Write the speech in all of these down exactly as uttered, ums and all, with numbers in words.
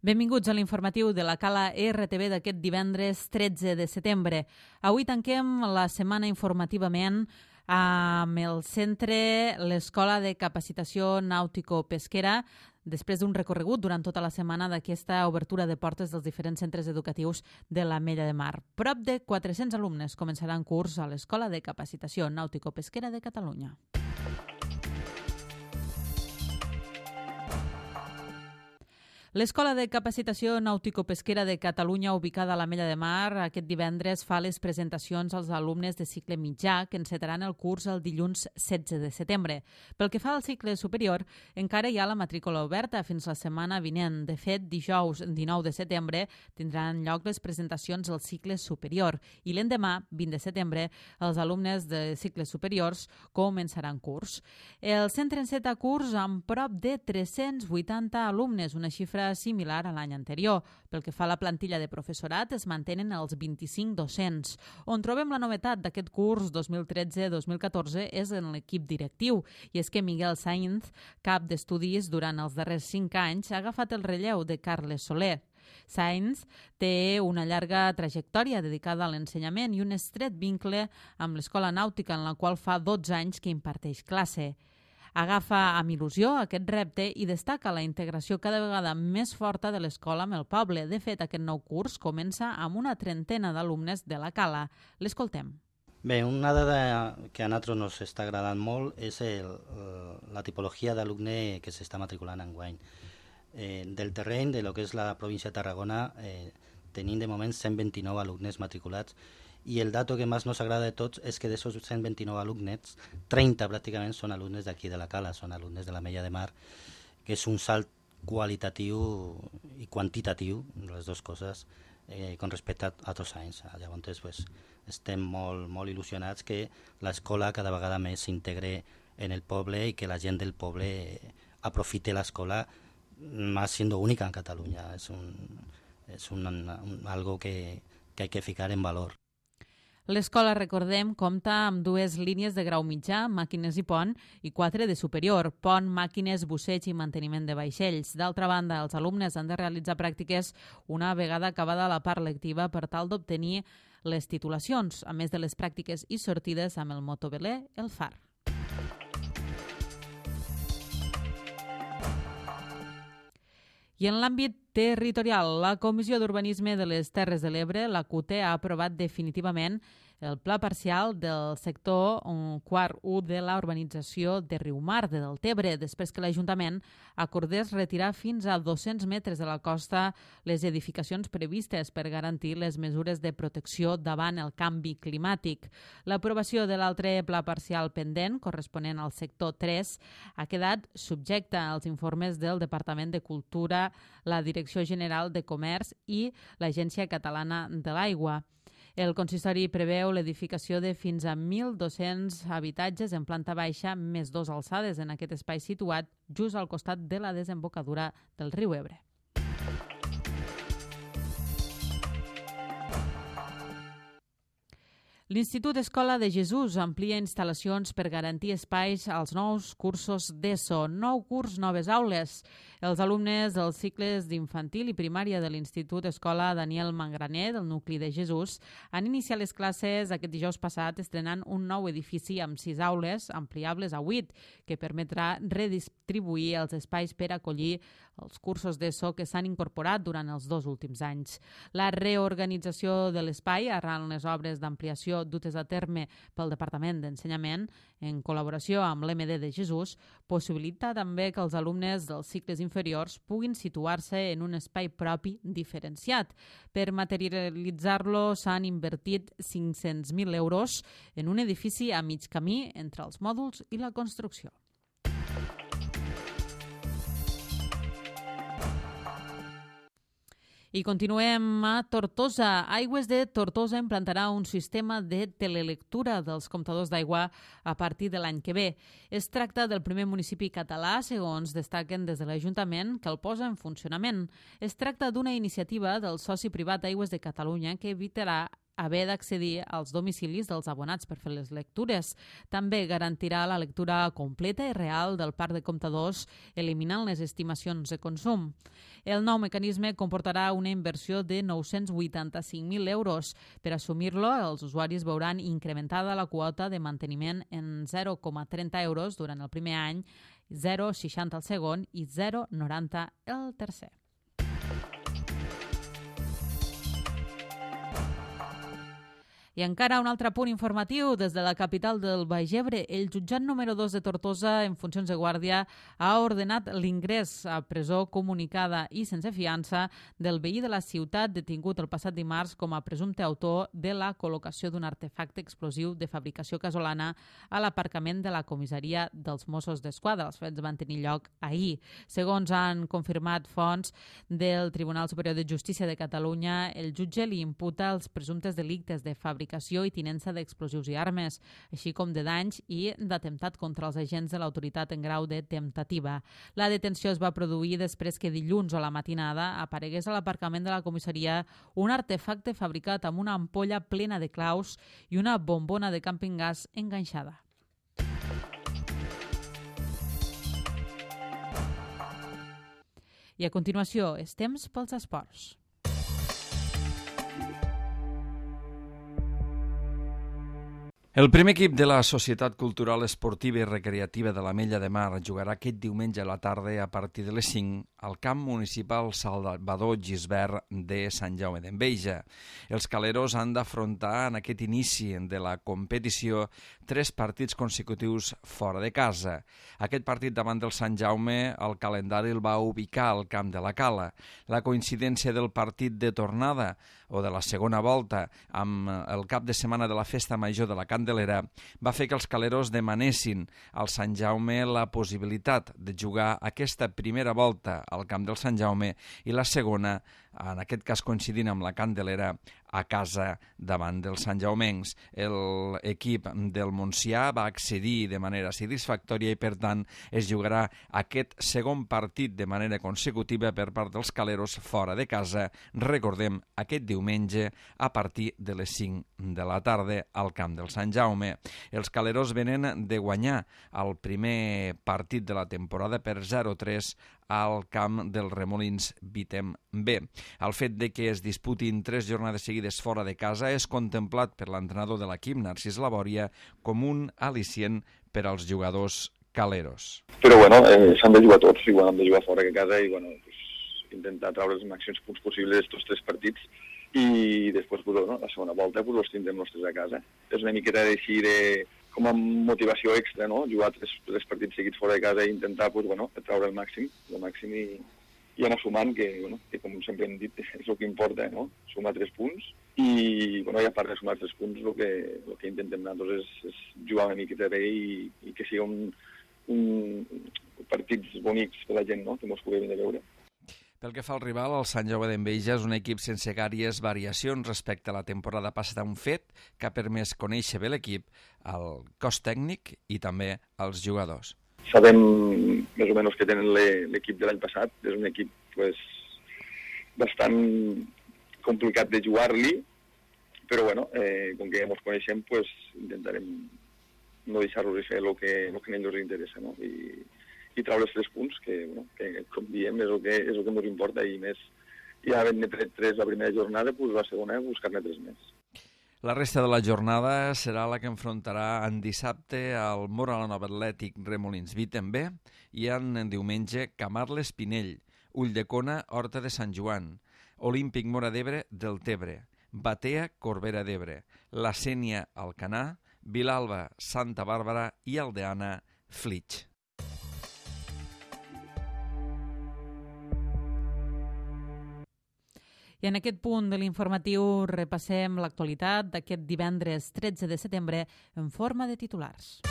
Benvinguts a l'informatiu de la Cala R T V d'aquest divendres tretze de setembre. Avui tanquem la setmana informativament amb el centre, l'Escola de Capacitació Nàutico-Pesquera, després d'un recorregut durant tota la setmana d'aquesta obertura de portes dels diferents centres educatius de l'Ametlla de Mar. Prop de quatre-cents alumnes començaran curs a l'Escola de Capacitació Nàutico-Pesquera de Catalunya. L'Escola de Capacitació Nàutico-Pesquera de Catalunya, ubicada a l'Ametlla de Mar, aquest divendres fa les presentacions als alumnes de cicle mitjà que encetaran el curs el dilluns setze de setembre. Pel que fa al cicle superior, encara hi ha la matrícula oberta fins la setmana vinent. De fet, dijous dinou de setembre tindran lloc les presentacions al cicle superior i l'endemà, vint de setembre, els alumnes de cicles superiors començaran curs. El centre enceta curs amb prop de tres-cents vuitanta alumnes, una xifra similar a l'any anterior. Pel que fa a la plantilla de professorat, es mantenen els vint-i-cinc docents. On trobem la novetat d'aquest curs dos mil tretze dos mil catorze és en l'equip directiu, i és que Miguel Sainz, cap d'estudis durant els darrers cinc anys, ha agafat el relleu de Carles Soler. Sainz té una llarga trajectòria dedicada a l'ensenyament i un estret vincle amb l'Escola Nàutica, en la qual fa dotze anys que imparteix classe. Agafa amb il·lusió aquest repte i destaca la integració cada vegada més forta de l'escola amb el poble. De fet, aquest nou curs comença amb una trentena d'alumnes de la Cala. L'escoltem. Bé, una dada que a nosaltres ens està agradant molt és el, la tipologia d'alumne que s'està matriculant enguany. Eh, del terreny de lo que és la província de Tarragona eh, tenim de moment cent vint-i-nou alumnes matriculats, i el dato que més ens agrada de tots és que d'aquests cent vint-i-nou alumnes, trenta pràcticament són alumnes d'aquí de la Cala, són alumnes de l'Ametlla de Mar, que és un salt qualitatiu i quantitatiu, les dues coses, eh, con respecte a, a dos anys. Llavors, pues, estem molt, molt il·lusionats que l'escola cada vegada més s'integre en el poble i que la gent del poble aprofite l'escola, más siendo única en Catalunya. És, un, és un, un, algo que, que hay que ficar en valor. L'escola, recordem, compta amb dues línies de grau mitjà, màquines i pont, i quatre de superior, pont, màquines, busseig i manteniment de vaixells. D'altra banda, els alumnes han de realitzar pràctiques una vegada acabada la part lectiva per tal d'obtenir les titulacions, a més de les pràctiques i sortides amb el motoveler El Far. I en l'àmbit territorial, la Comissió d'Urbanisme de les Terres de l'Ebre, la C U T E, ha aprovat definitivament el pla parcial del sector quart u de la urbanització de Riumar, de Deltebre, després que l'Ajuntament acordés retirar fins a dos-cents metres de la costa les edificacions previstes per garantir les mesures de protecció davant el canvi climàtic. L'aprovació de l'altre pla parcial pendent, corresponent al sector tres, ha quedat subjecta als informes del Departament de Cultura, la Direcció General de Comerç i l'Agència Catalana de l'Aigua. El consistori preveu l'edificació de fins a mil dos-cents habitatges en planta baixa més dos alçades en aquest espai situat just al costat de la desembocadura del riu Ebre. L'Institut Escola de Jesús amplia instal·lacions per garantir espais als nous cursos d'ESO. Nou curs, noves aules. Els alumnes dels cicles d'infantil i primària de l'Institut Escola Daniel Mangraner, del nucli de Jesús, han iniciat les classes aquest dijous passat estrenant un nou edifici amb sis aules ampliables a vuit, que permetrà redistribuir els espais per acollir els cursos d'ESO que s'han incorporat durant els dos últims anys. La reorganització de l'espai arran les obres d'ampliació dutes a terme pel Departament d'Ensenyament, en col·laboració amb l'M D de Jesús, possibilita també que els alumnes dels cicles inferiors puguin situar-se en un espai propi diferenciat. Per materialitzar-lo s'han invertit cinc-cents mil euros en un edifici a mig camí entre els mòduls i la construcció. I continuem a Tortosa. Aigües de Tortosa implantarà un sistema de telelectura dels comptadors d'aigua a partir de l'any que ve. Es tracta del primer municipi català, segons destaquen des de l'Ajuntament, que el posa en funcionament. Es tracta d'una iniciativa del soci privat Aigües de Catalunya que evitarà haver d'accedir als domicilis dels abonats per fer les lectures. També garantirà la lectura completa i real del parc de comptadors, eliminant les estimacions de consum. El nou mecanisme comportarà una inversió de nou-cents vuitanta-cinc mil euros. Per assumir-lo, els usuaris veuran incrementada la quota de manteniment en zero coma trenta euros durant el primer any, zero coma seixanta el segon i zero coma noranta el tercer. I encara un altre punt informatiu des de la capital del Baix Ebre. El jutjat número dos de Tortosa, en funcions de guàrdia, ha ordenat l'ingrés a presó comunicada i sense fiança del veí de la ciutat detingut el passat dimarts com a presumpte autor de la col·locació d'un artefacte explosiu de fabricació casolana a l'aparcament de la comissaria dels Mossos d'Esquadra. Els fets van tenir lloc ahir. Segons han confirmat fonts del Tribunal Superior de Justícia de Catalunya, el jutge li imputa els presumptes delictes de fabricació fabricació i tinença d'explosius i armes, així com de danys i d'atemptat contra els agents de l'autoritat en grau de temptativa. La detenció es va produir després que dilluns a la matinada aparegués a l'aparcament de la comissaria un artefacte fabricat amb una ampolla plena de claus i una bombona de camping gas enganxada. I a continuació, és temps pels esports. El primer equip de la Societat Cultural Esportiva i Recreativa de l'Ametlla de Mar jugarà aquest diumenge a la tarda a partir de les cinc al camp municipal Salvador Gisbert de Sant Jaume d'Enveja. Els caleros han d'afrontar en aquest inici de la competició tres partits consecutius fora de casa. Aquest partit davant del Sant Jaume el calendari el va ubicar al camp de la Cala. La coincidència del partit de tornada o de la segona volta amb el cap de setmana de la Festa Major de la Candelera va fer que els caleros demanessin al Sant Jaume la possibilitat de jugar aquesta primera volta al camp del Sant Jaume i la segona, en aquest cas coincidint amb la Candelera, a casa davant dels santjaumencs. L'equip del Montsià va accedir de manera satisfactòria i, per tant, es jugarà aquest segon partit de manera consecutiva per part dels caleros fora de casa, recordem, aquest diumenge a partir de les cinc de la tarda al camp del Sant Jaume. Els caleros venen de guanyar el primer partit de la temporada per zero a tres al camp dels Remolins Vitem B. El fet de que es disputin tres jornades seguides fora de casa és contemplat per l'entrenador de l'equip, Narcís Labòria, com un al·licient per als jugadors caleros. Però bueno, eh, s'han de jugar tots, i bueno, hem de jugar fora de casa i bueno, pues, intentar treure els màxims punts possibles d'estos tres partits i després pues, bueno, la segona volta pues, els tindrem nostres a casa. És una miqueta d'així de com a motivació extra, no? Jugar tres, tres partits seguits fora de casa i intentar pues, bueno, treure el màxim, el màxim i, i anar sumant, que, bueno, que com sempre hem dit és el que importa, no? Sumar tres punts i, bueno, i a part de sumar tres punts el que, el que intentem nosaltres és, és jugar una miqueta bé i, i que sigui un, un partits bonics per la gent, no? Que mos pugui venir a veure. Pel que fa al rival, el Sant Jaume d'Enveja és un equip sense gaires variacions respecte a la temporada passada, un fet que ha permès conèixer bé l'equip, el cos tècnic i també els jugadors. Sabem més o menys que tenen l'equip de l'any passat, és un equip pues, bastant complicat de jugar-li, però bueno, eh, com que ja ens coneixem, pues, intentarem no deixar-los fer el que, el que a ells els interessa, no? I, i treure els tres punts, que, bueno, que com diem és el que, és el que ens importa i més. Ja havent-ne tret tres la primera jornada, pues, la segona buscar-ne tres més. La resta de la jornada serà la que enfrontarà en dissabte al Moralanova Atlètic Remolins Vitem B i en diumenge Camarles Pinell, Ulldecona Horta de Sant Joan, Olímpic Móra d'Ebre del Tebre, Batea Corbera d'Ebre, La Sénia Alcanar, Vilalba Santa Bàrbara i Aldeana Flix. I en aquest punt de l'informatiu repassem l'actualitat d'aquest divendres tretze de setembre en forma de titulars.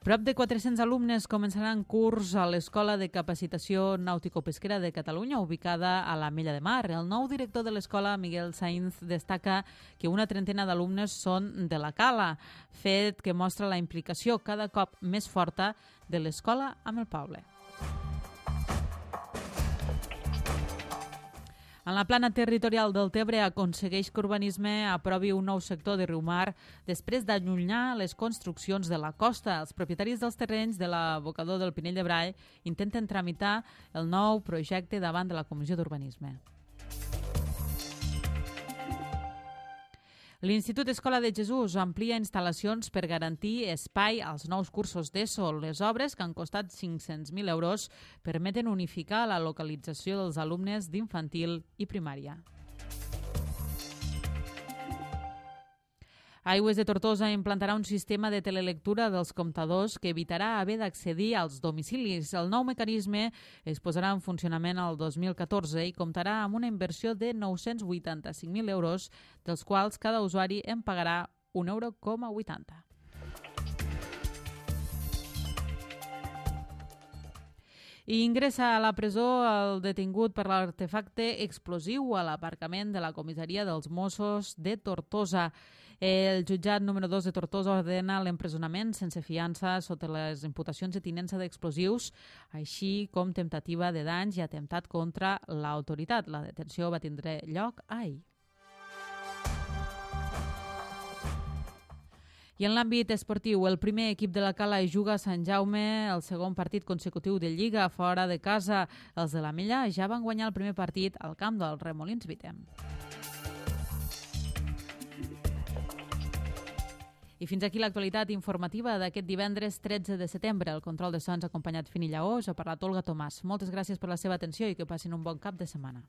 Prop de quatre-cents alumnes començaran curs a l'Escola de Capacitació Nàutico-Pesquera de Catalunya, ubicada a l'Ametlla de Mar. El nou director de l'escola, Miguel Sainz, destaca que una trentena d'alumnes són de la Cala, fet que mostra la implicació cada cop més forta de l'escola amb el poble. En la plana territorial del Tebre aconsegueix que Urbanisme aprovi un nou sector de Riumar després d'allunyar les construccions de la costa. Els propietaris dels terrenys de l'abocador del Pinell de Brai intenten tramitar el nou projecte davant de la Comissió d'Urbanisme. L'Institut Escola de Jesús amplia instal·lacions per garantir espai als nous cursos d'ESO. Les obres, que han costat cinc-cents mil euros, permeten unificar la localització dels alumnes d'infantil i primària. Aigües de Tortosa implantarà un sistema de telelectura dels comptadors que evitarà haver d'accedir als domicilis. El nou mecanisme es posarà en funcionament el dos mil catorze i comptarà amb una inversió de nou-cents vuitanta-cinc mil euros, dels quals cada usuari en pagarà un euro coma vuitanta. I ingressa a la presó el detingut per l'artefacte explosiu a l'aparcament de la comissaria dels Mossos de Tortosa. El jutjat número dos de Tortosa ordena l'empresonament sense fiança sota les imputacions de tinença d'explosius, així com temptativa de danys i atemptat contra l'autoritat. La detenció va tindre lloc ahir. I en l'àmbit esportiu, el primer equip de la Cala juga a Sant Jaume el segon partit consecutiu de Lliga fora de casa. Els de la Mella ja van guanyar el primer partit al camp del Remolins Vitem. I fins aquí l'actualitat informativa d'aquest divendres tretze de setembre. El control de sons acompanyat Fini Lleó, us ha parlat Olga Tomàs. Moltes gràcies per la seva atenció i que passin un bon cap de setmana.